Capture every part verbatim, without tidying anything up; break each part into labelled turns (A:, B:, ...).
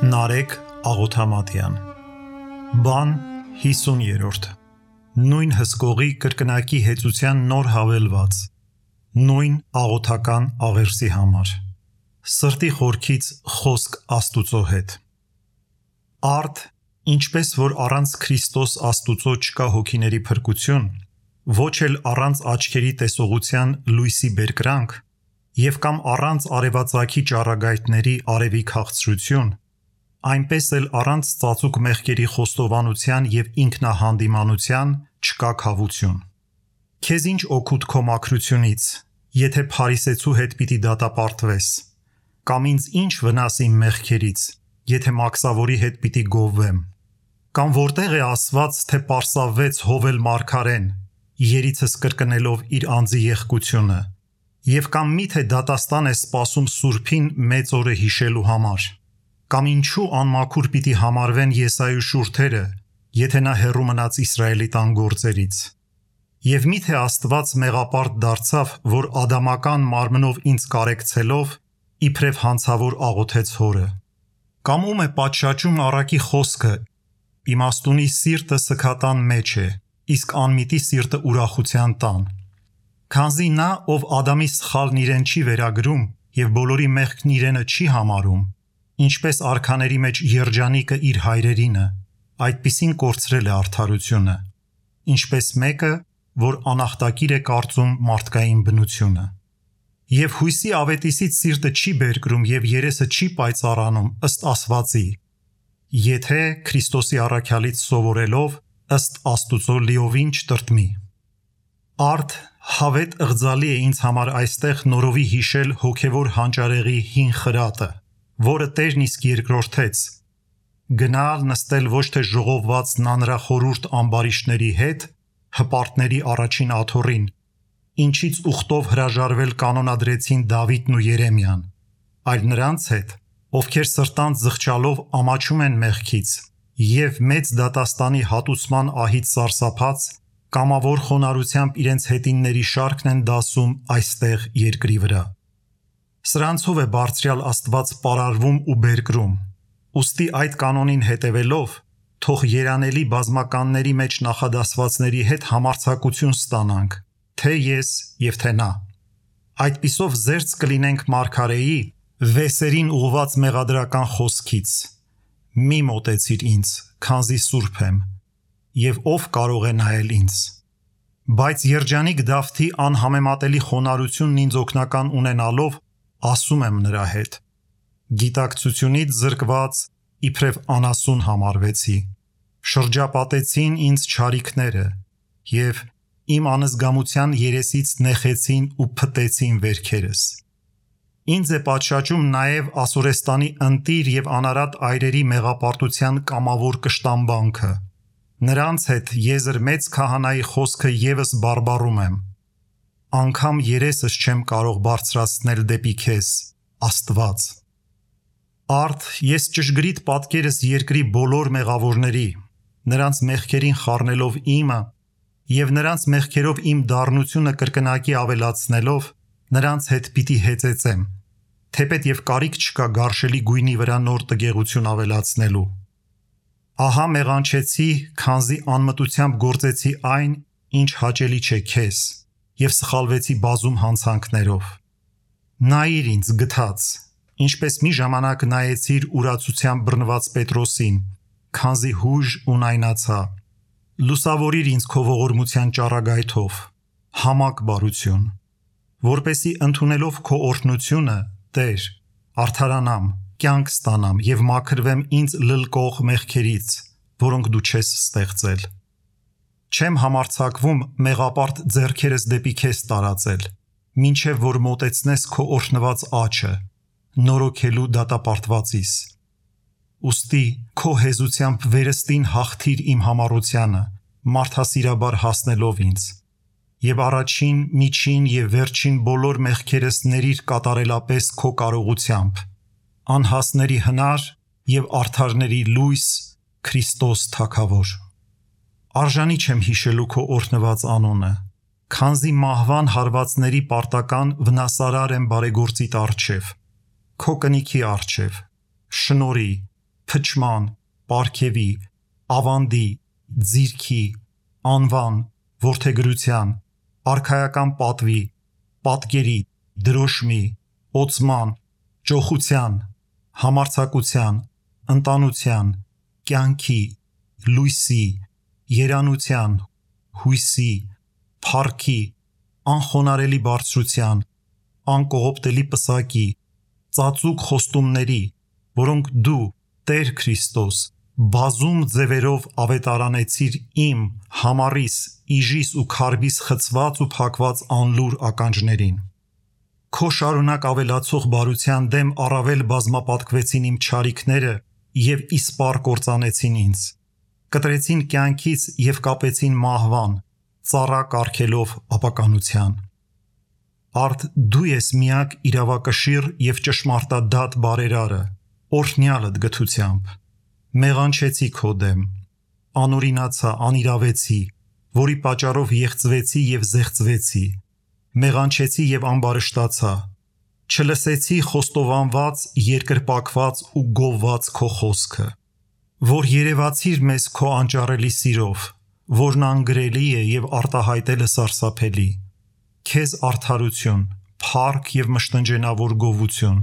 A: Նարեկ Աղոթամատյան Բան հիսուներորդ Նույն հսկողի կրկնակի հեծության նոր հավելված Նույն աղոթական աղերսի համար Սրտի խորքից խոսք Աստուծո հետ Արդ, ինչպես որ առանց Քրիստոս Աստուծո չկա հոգիների փրկություն, ոչ էլ առանց աչքերի տեսողության լույսի բերկրանք, և կամ առանց արևածագի ճառագայթների արևի քաղցրություն, այնպես էլ առանց ծածուկ մեղքերի խոստովանության և ինքնահանդիմանության չկա քավություն։ Քեզ ինչ օգուտ քո մաքրությունից, եթե փարիսեցու հետ պիտի դատապարտվես, կամ ինձ ինչ վնաս իմ մեղքերից, եթե մաքսավորի հետ պիտի գովվեմ, կամ որտեղ է ասված, թե պարսավվեց Հովել մարգարեն, երիցս կրկնելով իր անձի եղկությունը, և կամ միթե դատաստան է սպասում Սուրբին մեծ օրը հիշելու համար, կամ ինչու անմաքուր պիտի համարվեն Եսայի շուրթերը, եթե նա հեռու մնաց Իսրայելի տան գործերից, և միթե Աստված մեղապարտ դարձավ, որ ադամական մարմնով ինձ կարեկցելով, իբրև հանցավոր աղոթեց Հորը, կամ ում է պատշաճում առակի խոսքը, իմաստունի սիրտը սգատան մեջ է, իսկ անմիտի սիրտը ուրախության տան, քանզի նա, ով Ադամի սխալն իրեն չի վերագրում և բոլորի մեղքն իրենը չի համարում, ինչպես արքաների մեջ երջանիկը իր հայրերինը, այդպիսին կորցրել է արդարությունը, ինչպես մեկը, որ անախտակիր է կարծում մարդկային բնությունը։ Եվ հույսի ավետիսից սիրտը չի բերկրում և երեսը չի պայծառանում ըստ ասվածի, եթե Քրիստոսի առաքյալից սովորելով ըստ Աստուծո լիովին չտրտմի։ Արդ հավետ ըղձալի է ինձ համար այստեղ նորովի հիշել հոգևոր հանճարեղի հին խրատը, որը Տերն իսկ երկրորդեց, գնալ նստել ոչ թե ժողովված նանրախորուրդ ամբարիշտների հետ, հպարտների առաջին աթոռին, ինչից ուխտով հրաժարվել կանոնադրեցին Դավիթն ու Երեմիան, այլ նրանց հետ, ովքեր սրտանց զղջալով ամաչում են մեղքից և մեծ դատաստանի հատուցման ահից սարսափած, կամավոր խոնարհությամբ իրենց հետինների շարքն են դասում այստեղ երկրի վրա։ Սրանցով է բարձրյալ Աստված պարարվում ու բերկրում, ուստի այդ կանոնին հետևելով, թող երանելի բազմականների մեջ նախադասվածների հետ համարձակություն ստանանք, թե ես և թե նա։ Այդպիսով զերծ կլինենք մարգարեի վեսերին ուղված մեղադրական խոսքից. «Մի մոտեցիր ինձ, քանզի սուրբ եմ, և ով կարող է նայել ինձ»։ Բայց երջանիկ Դավթի անհամեմատելի խոնարհությունն ինձ օգնական ունենալով, ասում եմ նրա հետ. «Գիտակցությունից զրկված իբրև անասուն համարվեցի, շրջապատեցին ինձ չարիքները և իմ անզգամության երեսից նեխեցին ու փտեցին վերքերս։ Ինձ է պատշաճում նաև Ասորեստանի ընտիր և անարատ այրերի մեղապարտության կամավոր կշտամբանքը, նրանց հետ եզր մեծ քահանայի խոսքը ևս բարբառում եմ, անգամ երեսս չեմ կարող բարձրացնել դեպի քեզ, Աստված։ Արդ ես ճշգրիտ պատկերս երկրի բոլոր մեղավորների, նրանց մեղքերին խառնելով իմը և նրանց մեղքերով իմ դառնությունը կրկնակի ավելացնելով, նրանց հետ պիտի հեծեծեմ, թեպետ և կարիք չկա գարշելի գույնի վրա նոր տգեղություն ավելացնելու։ Ահա մեղանչեցի, քանզի անմտությամբ գործեցի այն, ինչ հաճելի չէ քեզ, և սխալվեցի բազում հանցանքներով։ Նայիր ինձ գթած, ինչպես մի ժամանակ նայեցիր ուրացությամբ բռնված Պետրոսին, քանզի հույժ ունայնացա, լուսավորիր ինձ քո ողորմության ճառագայթով, համակ բարություն, որպեսզի ընդունելով քո օրհնությունը, Տեր, արդարանամ, կյանք ստանամ և մաքրվեմ ինձ լլկող մեղքերից, որոնք դու չես ստեղծել։ Չեմ համարձակվում մեղապարտ ձեռքերս դեպի քեզ տարածել, մինչև որ մոտեցնես քո օրհնված աջը, նորոգելու դատապարտվածիս։ Ուստի քո հեզությամբ վերստին հաղթիր իմ համառությանը, մարդասիրաբար հասնելով ինձ, և առաջին, միջին և վերջին բոլոր մեղքերս ներիր կատարելապես քո կարողությամբ, անհասների հնար և արդարների լույս, Քրիստոս Թագավոր։ Արժանի չեմ հիշելու քո օրհնված անունը, քանզի մահվան հարվածների պարտական վնասարար եմ բարեգործիդ առջև, քո կնիքի առջև, շնորհի, փչման, պարգևի, ավանդի, ձիրքի, անվան, որդեգրության, արքայական պատվի, պատկերի, դրոշմի, օծման, ճոխության, համարձակության, ընտանության, կյանքի, լույսի, երանության, հույսի, փառքի, անխոնարելի բարձրության, անկողոպտելի պսակի, ծածուկ խոստումների, որոնք դու, Տեր Քրիստոս, բազում ձևերով ավետարանեցիր իմ, համառիս, իժիս ու քարբիս խցված ու փակված անլուր ականջներին։ Քո շարունակ ավելացող բարության դեմ առավել բազմապատկվեցին իմ չարիքները և իսպառ կործանեցին ինձ, կտրեցին կյանքից և կապեցին մահվան, ծառա կարգելով ապականության։ Արդ դու ես միակ իրավակշիռ և ճշմարտադատ բարերարը, օրհնյալդ գթությամբ։ Մեղանչեցի քո դեմ, անօրինացա, անիրավեցի, որի պատճառով եղծվեցի և զեղծվեցի, մեղանչեցի և ամբարշտացա, չլսեցի խոստովանված, երկրպագված ու գովված քո խոսքը, որ երևացիր մեզ քո անճարելի սիրով, որն անգրելի է և արտահայտելը սարսափելի, քեզ արդարություն, փառք և մշտնջենավոր գովություն,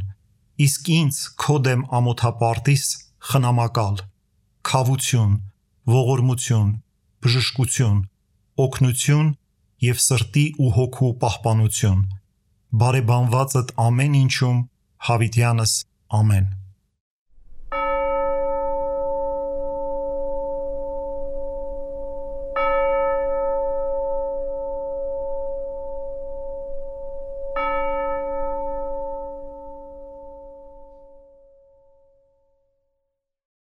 A: իսկ ինձ քո դեմ ամոթապարտիս խնամակալ, քավություն, ողորմություն, բժշկություն, օգնություն և սրտի ու հոգու պահպանություն, բարեբանվածդ ամեն ինչում, հավիտյանս ամեն։